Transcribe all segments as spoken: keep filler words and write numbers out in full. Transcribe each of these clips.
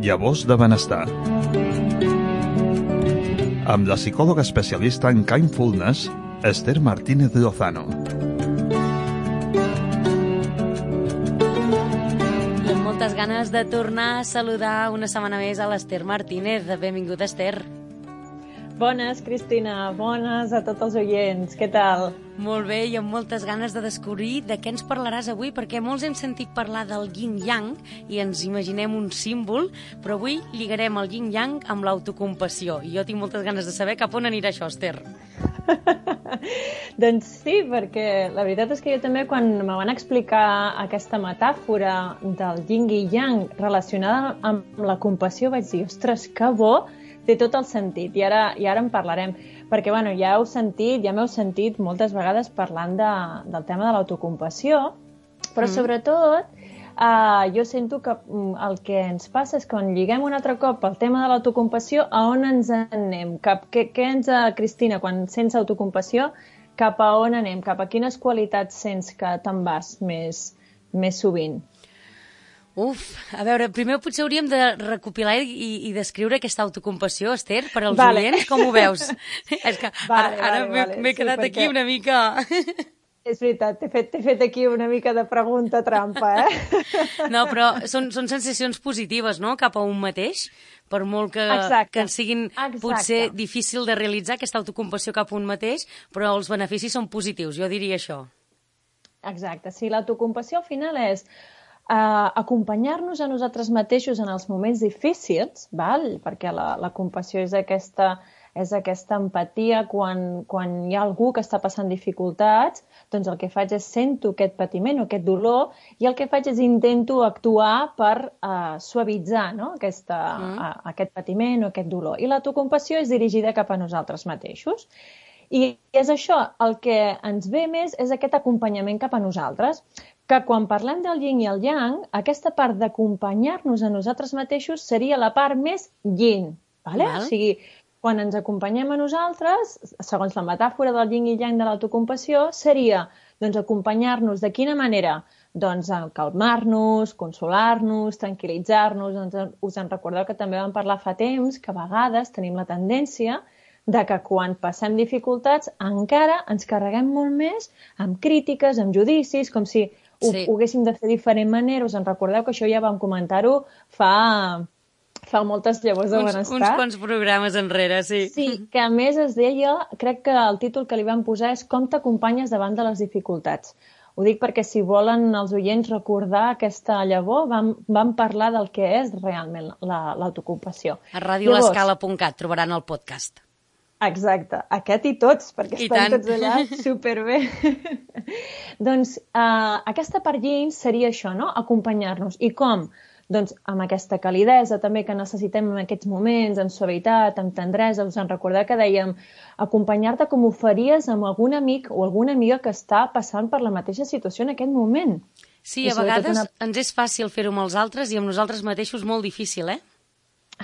Llavors de benestar. Amb la psicòloga especialista en Kindfulness, Esther Martínez Lozano. I amb moltes ganes de tornar a saludar una setmana més a l'Esther Martínez. Benvinguda, Esther. Bones, Cristina. Bones a tots els oients. Què tal? Molt bé, i amb moltes ganes de descobrir de què ens parlaràs avui, perquè molts hem sentit parlar del yin-yang i ens imaginem un símbol, però avui lligarem el yin-yang amb l'autocompassió. I jo tinc moltes ganes de saber cap on anirà això, Esther. Doncs sí, perquè la veritat és que jo també, quan me van explicar aquesta metàfora del yin i yang relacionada amb la compassió, vaig dir, ostres, que bo, té tot el sentit, i ara, i ara en parlarem, perquè bueno, ja heu sentit, ja m'heu sentit moltes vegades parlant de, del tema de l'autocompassió, però mm. sobretot eh, jo sento que el que ens passa és que quan lliguem un altre cop el tema de l'autocompassió, a on ens anem? Cap, què, què ens, Cristina, quan sents autocompassió, cap a on anem? Cap a quines qualitats sents que te'n vas més, més sovint? Uf, a veure, primer potser hauríem de recopilar i, i descriure aquesta autocompassió, Esther, per als vale. oients, com ho veus? És que vale, ara, ara vale, m'he vale. quedat sí, aquí una mica... És veritat, t'he fet, fet aquí una mica de pregunta trampa, eh? No, però són, són sensacions positives, no?, cap a un mateix, per molt que, que ens siguin Exacte. Potser difícil de realitzar aquesta autocompassió cap a un mateix, però els beneficis són positius, jo diria això. Exacte, sí, l'autocompassió al final és Uh, acompanyar-nos a nosaltres mateixos en els moments difícils, val? Perquè la, la compassió és aquesta, és aquesta empatia quan, quan hi ha algú que està passant dificultats, doncs el que faig és sento aquest patiment o aquest dolor i el que faig és intento actuar per uh, suavitzar, no? aquesta, mm. uh, aquest patiment o aquest dolor. I l'autocompassió és dirigida cap a nosaltres mateixos. I és això, el que ens ve més és aquest acompanyament cap a nosaltres, que quan parlem del yin i el yang, aquesta part d'acompanyar-nos a nosaltres mateixos seria la part més yin, vale? Val. O sigui, quan ens acompanyem a nosaltres, segons la metàfora del yin i yang de l'autocompassió, seria doncs, acompanyar-nos de quina manera? Doncs calmar-nos, consolar-nos, tranquil·litzar-nos. Doncs, us en recordeu que també vam parlar fa temps que a vegades tenim la tendència de que quan passem dificultats encara ens carreguem molt més amb crítiques, amb judicis, com si ho, sí. ho haguéssim de fer de diferent manera. Us en recordeu que això ja vam comentar-ho fa, fa moltes llavors de uns, benestar. Uns quants programes enrere, sí. Sí, que a més es deia, crec que el títol que li vam posar és Com t'acompanyes davant de les dificultats. Ho dic perquè si volen els oients recordar aquesta llavor, vam, vam parlar del que és realment l'autocompassió. A radio l'escala punt cat trobaran el podcast. Exacte, aquest i tots, perquè I estan tant. tots allà superbé. Doncs uh, aquesta part yin seria això, no? Acompanyar-nos. I com? Doncs amb aquesta calidesa també que necessitem en aquests moments, amb suavitat, amb tendresa. Us en recordeu que dèiem acompanyar-te com ho faries amb algun amic o alguna amiga que està passant per la mateixa situació en aquest moment. Sí, a vegades una... ens és fàcil fer-ho amb els altres i amb nosaltres mateixos molt difícil, eh?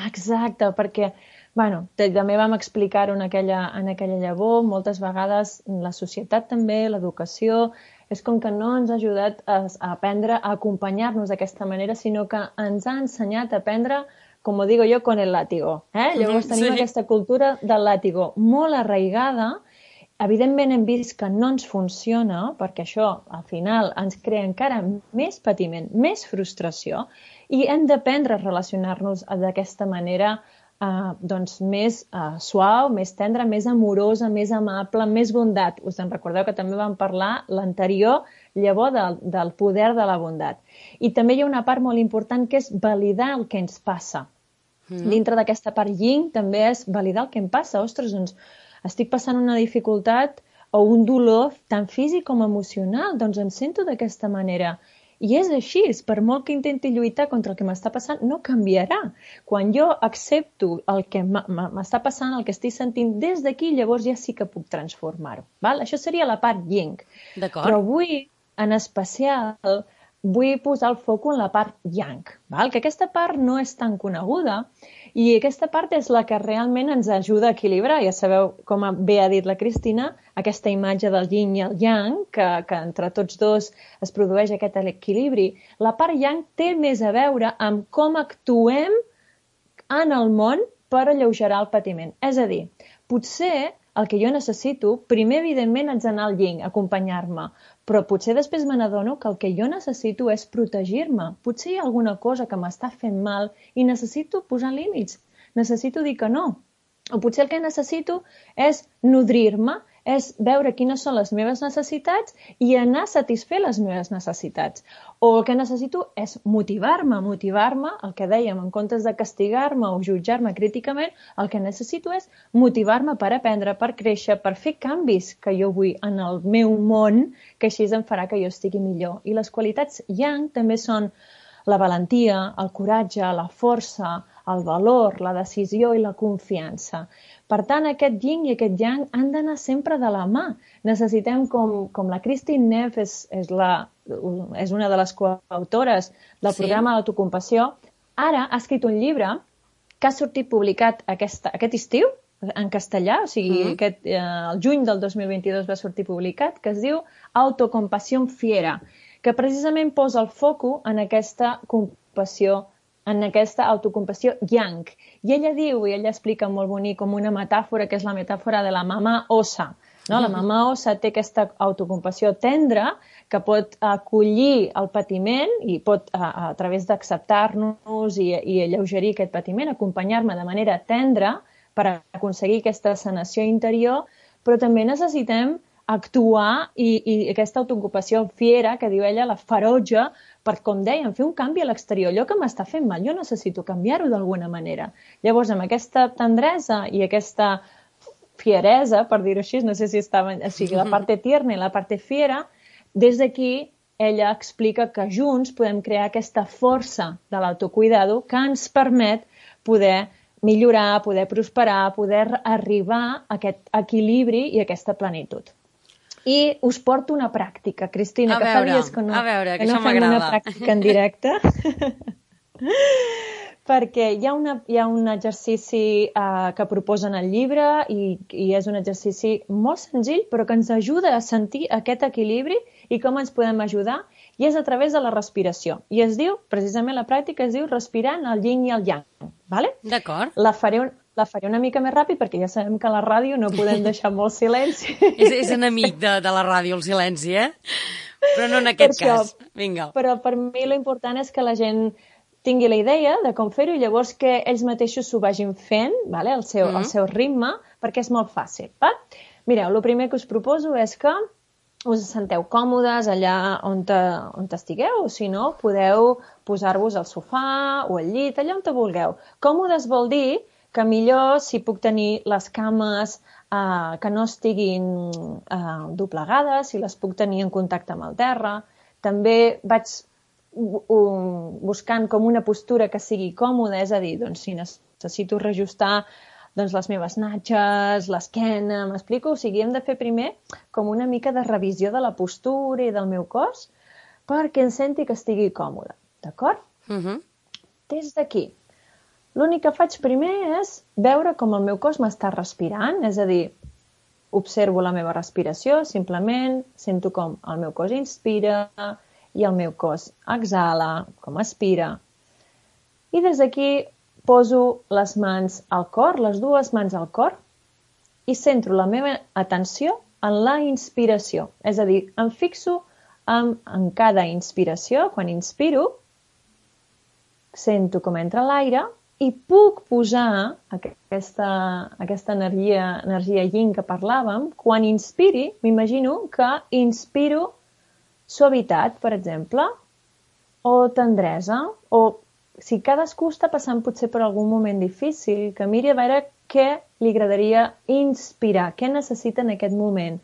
Exacte, perquè... Bueno, també vam explicar-ho en aquella, en aquella llavor, moltes vegades la societat també, l'educació, és com que no ens ha ajudat a, a aprendre a acompanyar-nos d'aquesta manera, sinó que ens ha ensenyat a aprendre, com ho digo jo, con el látigo. Eh? Llavors tenim sí. aquesta cultura del látigo molt arraigada. Evidentment hem vist que no ens funciona, perquè això al final ens crea encara més patiment, més frustració, i hem d'aprendre a relacionar-nos d'aquesta manera Uh, doncs més uh, suau, més tendra, més amorosa, més amable, més bondat. Us en recordeu que també vam parlar l'anterior llavor del, del poder de la bondat. I també hi ha una part molt important que és validar el que ens passa. Mm. Dintre d'aquesta part yin també és validar el que em passa. Ostres, doncs estic passant una dificultat o un dolor tant físic com emocional, doncs em sento d'aquesta manera. I és així, per molt que intenti lluitar contra el que m'està passant, no canviarà. Quan jo accepto el que m'està passant, el que estic sentint des d'aquí, llavors ja sí que puc transformar-ho. Val? Això seria la part yin. Però avui, en especial, vull posar el foc en la part yang, val? Que aquesta part no és tan coneguda i aquesta part és la que realment ens ajuda a equilibrar. Ja sabeu, com bé ha dit la Cristina, aquesta imatge del yin i el yang, que, que entre tots dos es produeix aquest equilibri. La part yang té més a veure amb com actuem en el món per alleugerar el patiment. És a dir, potser el que jo necessito, primer, evidentment, haig d'anar al yin, acompanyar-me, però potser després me n'adono que el que jo necessito és protegir-me. Potser hi ha alguna cosa que m'està fent mal i necessito posar límits, necessito dir que no. O potser el que necessito és nodrir-me, és veure quines són les meves necessitats i anar a satisfer les meves necessitats. O el que necessito és motivar-me, motivar-me, el que dèiem, en comptes de castigar-me o jutjar-me críticament, el que necessito és motivar-me per aprendre, per créixer, per fer canvis que jo vull en el meu món, que així em farà que jo estigui millor. I les qualitats yang també són la valentia, el coratge, la força, el valor, la decisió i la confiança. Per tant, aquest yin i aquest yang han d'anar sempre de la mà. Necessitem, com, com la Christine Neff és, és, la, és una de les coautores del sí. programa d'autocompassió, ara ha escrit un llibre que ha sortit publicat aquesta, aquest estiu, en castellà, o sigui, mm. aquest, eh, el juny del dos mil vint-i-dos va sortir publicat, que es diu Autocompasión Fiera, que precisament posa el foco en aquesta compassió, en aquesta autocompassió yang. I ella diu, i ella explica molt bonic com una metàfora, que és la metàfora de la mamà ossa. No? La mamà ossa té aquesta autocompassió tendra que pot acollir el patiment i pot, a, a través d'acceptar-nos i, i alleugerir aquest patiment, acompanyar-me de manera tendra per aconseguir aquesta sanació interior, però també necessitem actuar i, i aquesta autoocupació fiera, que diu ella, la ferotge, per, com dèiem, fer un canvi a l'exterior. Allò que m'està fent mal, jo necessito canviar-ho d'alguna manera. Llavors, amb aquesta tendresa i aquesta fieresa, per dir-ho així, no sé si estava, o sigui, la part tierna i la part fiera, des d'aquí ella explica que junts podem crear aquesta força de l'autocuidado que ens permet poder millorar, poder prosperar, poder arribar a aquest equilibri i aquesta plenitud. I us porto una pràctica, Cristina, a que veure, fa dies que no, a veure, que que no fem una pràctica en directe, perquè hi ha, una, hi ha un exercici uh, que proposen al llibre i, i és un exercici molt senzill, però que ens ajuda a sentir aquest equilibri i com ens podem ajudar, i és a través de la respiració. I es diu, precisament la pràctica es diu respirant el yin i el yang. Vale? D'acord. La faré un, La faré una mica més ràpid perquè ja sabem que a la ràdio no podem deixar molt silenci. és, és enemic de, de la ràdio, el silenci, eh? Però no en aquest això, cas. Vinga. Però per mi l'important és que la gent tingui la idea de com fer-ho i llavors que ells mateixos s'ho vagin fent, vale? el, seu, mm. el seu ritme, perquè és molt fàcil. Va? Mireu, el primer que us proposo és que us senteu còmodes allà on, te, on estigueu, o si no, podeu posar-vos al sofà o al llit, allà on te vulgueu. Còmodes vol dir que millor si puc tenir les cames eh, que no estiguin eh, doblegades, si les puc tenir en contacte amb el terra. També vaig um, buscant com una postura que sigui còmoda, és a dir, doncs, si necessito reajustar doncs, les meves natges, l'esquena, m'explico? O sigui, hem de fer primer com una mica de revisió de la postura i del meu cos perquè em senti que estigui còmode, d'acord? Uh-huh. Des d'aquí, l'únic que faig primer és veure com el meu cos m'està respirant, és a dir, observo la meva respiració, simplement sento com el meu cos inspira i el meu cos exhala, com expira. I des d'aquí poso les mans al cor, les dues mans al cor, i centro la meva atenció en la inspiració. És a dir, em fixo en, en cada inspiració, quan inspiro, sento com entra l'aire, i puc posar aquesta, aquesta energia, energia yin que parlàvem. Quan inspiri, m'imagino que inspiro suavitat, per exemple, o tendresa, o si cadascú està passant potser per algun moment difícil, que miri a veure què li agradaria inspirar, què necessita en aquest moment.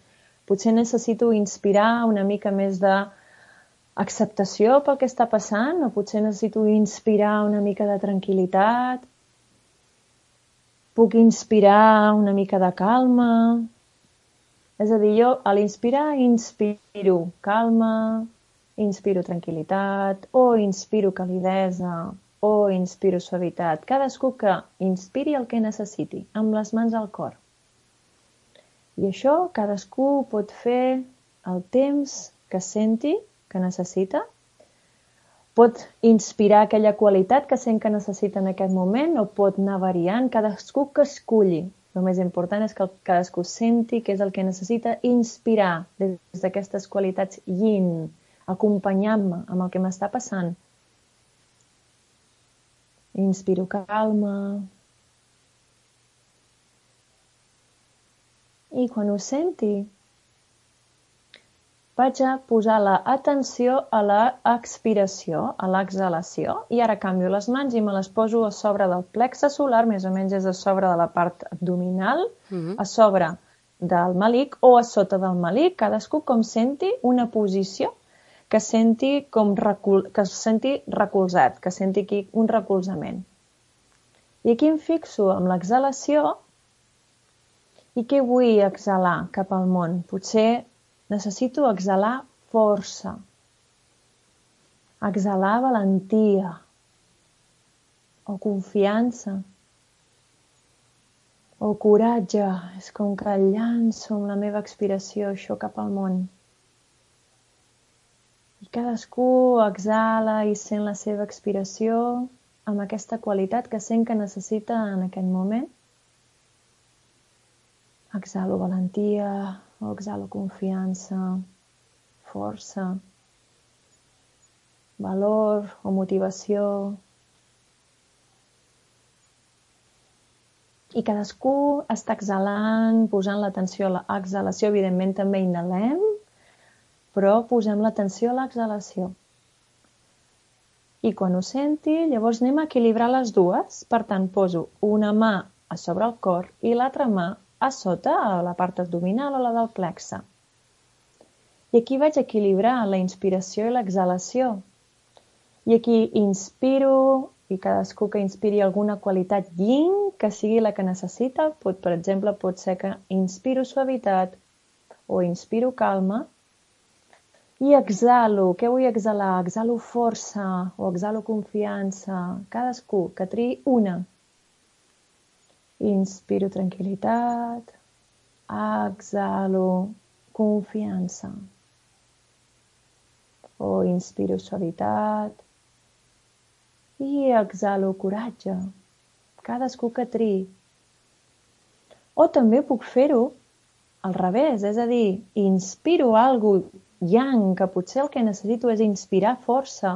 Potser necessito inspirar una mica més de acceptació pel que està passant, o potser necessito inspirar una mica de tranquil·litat. Puc inspirar una mica de calma. És a dir, jo a l'inspirar inspiro calma, inspiro tranquil·litat, o inspiro calidesa, o inspiro suavitat. Cadascú que inspiri el que necessiti, amb les mans al cor. I això cadascú pot fer el temps que senti que necessita. pot inspirar aquella qualitat que sent que necessita en aquest moment o pot anar variant, cadascú que esculli. El més important és que cadascú senti què és el que necessita inspirar des d'aquestes qualitats yin, acompanyant-me amb el que m'està passant. Inspiro calma. I quan ho senti, vaig a posar l'atenció a l'expiració, a l'exhalació, i ara canvio les mans i me les poso a sobre del plexe solar, més o menys és a sobre de la part abdominal, uh-huh. a sobre del malic o a sota del malic, cadascú com senti una posició que senti, com recol... que senti recolzat, que senti aquí un recolzament. I aquí em fixo amb l'exhalació i què vull exhalar cap al món? Potser necessito exhalar força, exhalar valentia o confiança o coratge. És com que llanço amb la meva expiració això cap al món. I cadascú exhala i sent la seva expiració amb aquesta qualitat que sent que necessita en aquest moment. Exhalo valentia, o exhalo confiança, força, valor o motivació. I cadascú està exhalant, posant l'atenció a l'exhalació. Evidentment també inhalem, però posem l'atenció a l'exhalació. I quan ho senti, llavors anem a equilibrar les dues. Per tant, poso una mà a sobre el cor i l'altra mà a sota, a la part abdominal o la del plexe. I aquí vaig equilibrar la inspiració i l'exhalació. I aquí inspiro, i cadascú que inspiri alguna qualitat yin, que sigui la que necessita. Pot, per exemple, pot ser que inspiro suavitat o inspiro calma. I exhalo. Què vull exhalar? Exhalo força o exhalo confiança. Cadascú que triï una. Inspiro tranquil·litat, exhalo confiança. O inspiro suavitat i exhalo coratge. Cadascú que triï. O també puc fer-ho al revés, és a dir, inspiro alguna cosa yang, que potser el que necessito és inspirar força,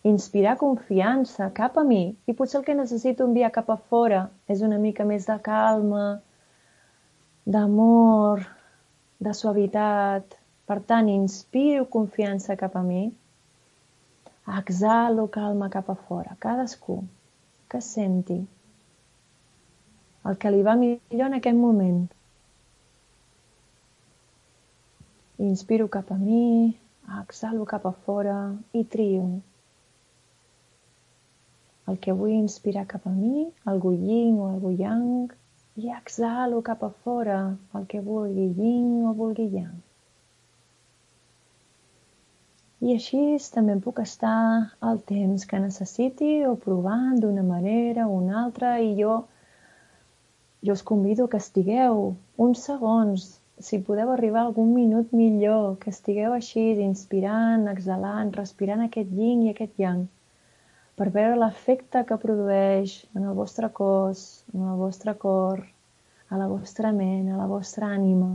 inspirar confiança cap a mi, i potser el que necessito enviar cap a fora és una mica més de calma, d'amor, de suavitat. Per tant, inspiro confiança cap a mi, exhalo calma cap a fora. Cadascú que senti el que li va millor en aquest moment. Inspiro cap a mi, exhalo cap a fora i trio. El que vull inspirar cap a mi, algú yin o algú yang, i exhalo cap a fora, el que vulgui yin o vulgui yang. I així també puc estar el temps que necessiti o provant d'una manera o una altra, i jo, jo us convido que estigueu uns segons, si podeu arribar a algun minut millor, que estigueu així, inspirant, exhalant, respirant aquest yin i aquest yang, per veure l'efecte que produeix en el vostre cos, en el vostre cor, a la vostra ment, a la vostra ànima.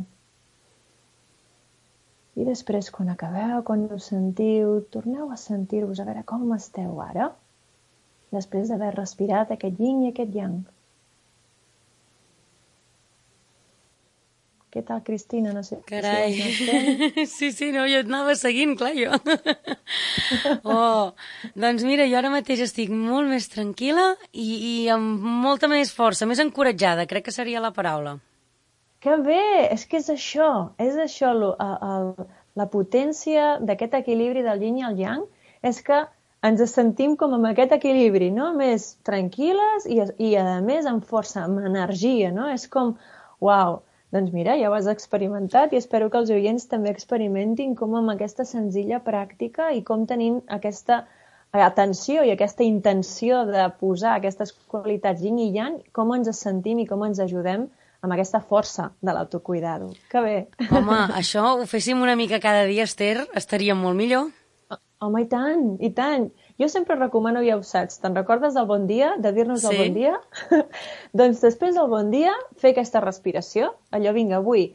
I després, quan acabeu, quan us sentiu, torneu a sentir-vos, a veure com esteu ara, després d'haver respirat aquest yin i aquest yang. Què tal, Cristina? No sé. Carai, si sí, sí, no, jo et anava seguint, clar, jo. Oh, doncs mira, jo ara mateix estic molt més tranquil·la i, i amb molta més força, més encoratjada, crec que seria la paraula. Que bé! És que és això, és això, el, el, la potència d'aquest equilibri del yin i el yang, és que ens sentim com amb aquest equilibri, no? Més tranquil·les i, i a més amb força, amb energia, no? És com, uau! Doncs mira, ja ho has experimentat i espero que els oients també experimentin com amb aquesta senzilla pràctica i com tenim aquesta atenció i aquesta intenció de posar aquestes qualitats yin i yang, com ens sentim i com ens ajudem amb aquesta força de l'autocuidado. Que bé! Home, això ho féssim una mica cada dia, Esther, estaria molt millor. Home, i tant, i tant. Jo sempre recomano, ja ho saps, te'n recordes del bon dia, de dir-nos Sí. el bon dia? Doncs després del bon dia, fer aquesta respiració. Allò, vinga, avui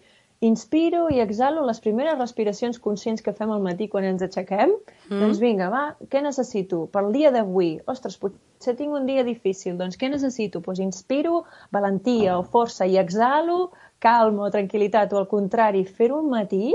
inspiro i exhalo les primeres respiracions conscients que fem al matí quan ens aixequem. Mm. Doncs vinga, va, què necessito? Pel dia d'avui, ostres, potser tinc un dia difícil, doncs què necessito? Doncs inspiro valentia o força i exhalo calma o tranquil·litat, o al contrari, fer-ho al matí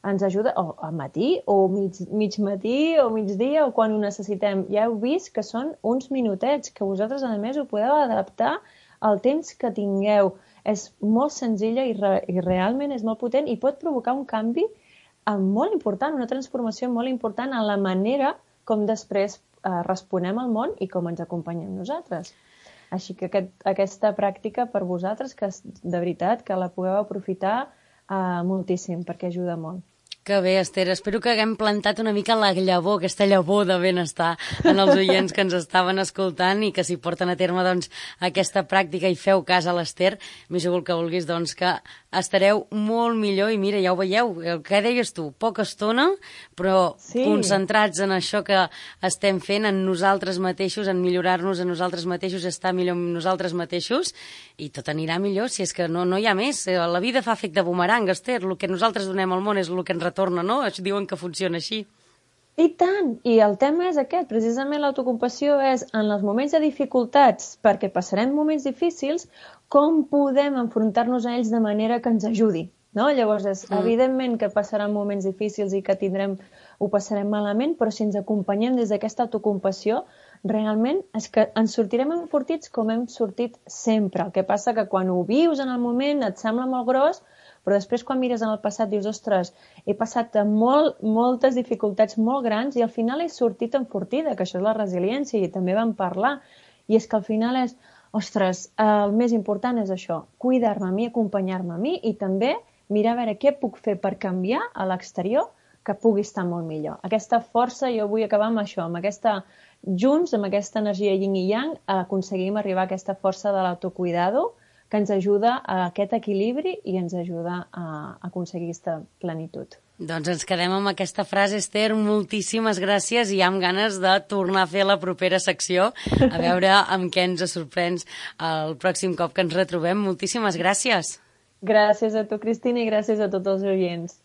ens ajuda, o al matí, o mig, mig matí, o migdia, o quan ho necessitem. Ja heu vist que són uns minutets, que vosaltres, a més, ho podeu adaptar al temps que tingueu. És molt senzilla i, re, i realment és molt potent i pot provocar un canvi eh, molt important, una transformació molt important en la manera com després eh, responem al món i com ens acompanyem nosaltres. Així que aquest, aquesta pràctica per vosaltres, que de veritat que la pugueu aprofitar eh, moltíssim, perquè ajuda molt. Que bé, Esther. Espero que haguem plantat una mica la llavor, aquesta llavor de benestar en els oients que ens estaven escoltant i que si porten a terme doncs, aquesta pràctica i feu cas a l'Esther, més igual que vulguis, doncs que estareu molt millor i mira, ja ho veieu, el que deies tu, poca estona, però sí. Concentrats en això que estem fent, en nosaltres mateixos, en millorar-nos a nosaltres mateixos, estar millor amb nosaltres mateixos i tot anirà millor, si és que no, no hi ha més. La vida fa efecte bumerang, Esther, el que nosaltres donem al món és el que ens retorna, no? Diuen que funciona així. I tant! I el tema és aquest, precisament l'autocompassió és en els moments de dificultats, perquè passarem moments difícils, com podem enfrontar-nos a ells de manera que ens ajudi, no? Llavors, és, mm. evidentment que passaran moments difícils i que tindrem, ho passarem malament, però si ens acompanyem des d'aquesta autocompassió, realment és que ens sortirem enfortits com hem sortit sempre. El que passa que quan ho vius en el moment et sembla molt gros, però després quan mires en el passat dius, ostres, he passat molt, moltes dificultats molt grans i al final he sortit enfortida, que això és la resiliència i també vam parlar. I és que al final és, ostres, el més important és això, cuidar-me a mi, acompanyar-me a mi i també mirar a veure què puc fer per canviar a l'exterior que pugui estar molt millor. Aquesta força, jo vull acabar amb això, amb aquesta, junts, amb aquesta energia yin i yang, aconseguim arribar a aquesta força de l'autocuidado que ens ajuda a aquest equilibri i ens ajuda a aconseguir aquesta plenitud. Doncs ens quedem amb aquesta frase, Esther. Moltíssimes gràcies i amb ganes de tornar a fer la propera secció, a veure amb què ens sorprens el pròxim cop que ens retrobem. Moltíssimes gràcies. Gràcies a tu, Cristina, i gràcies a tots els oients.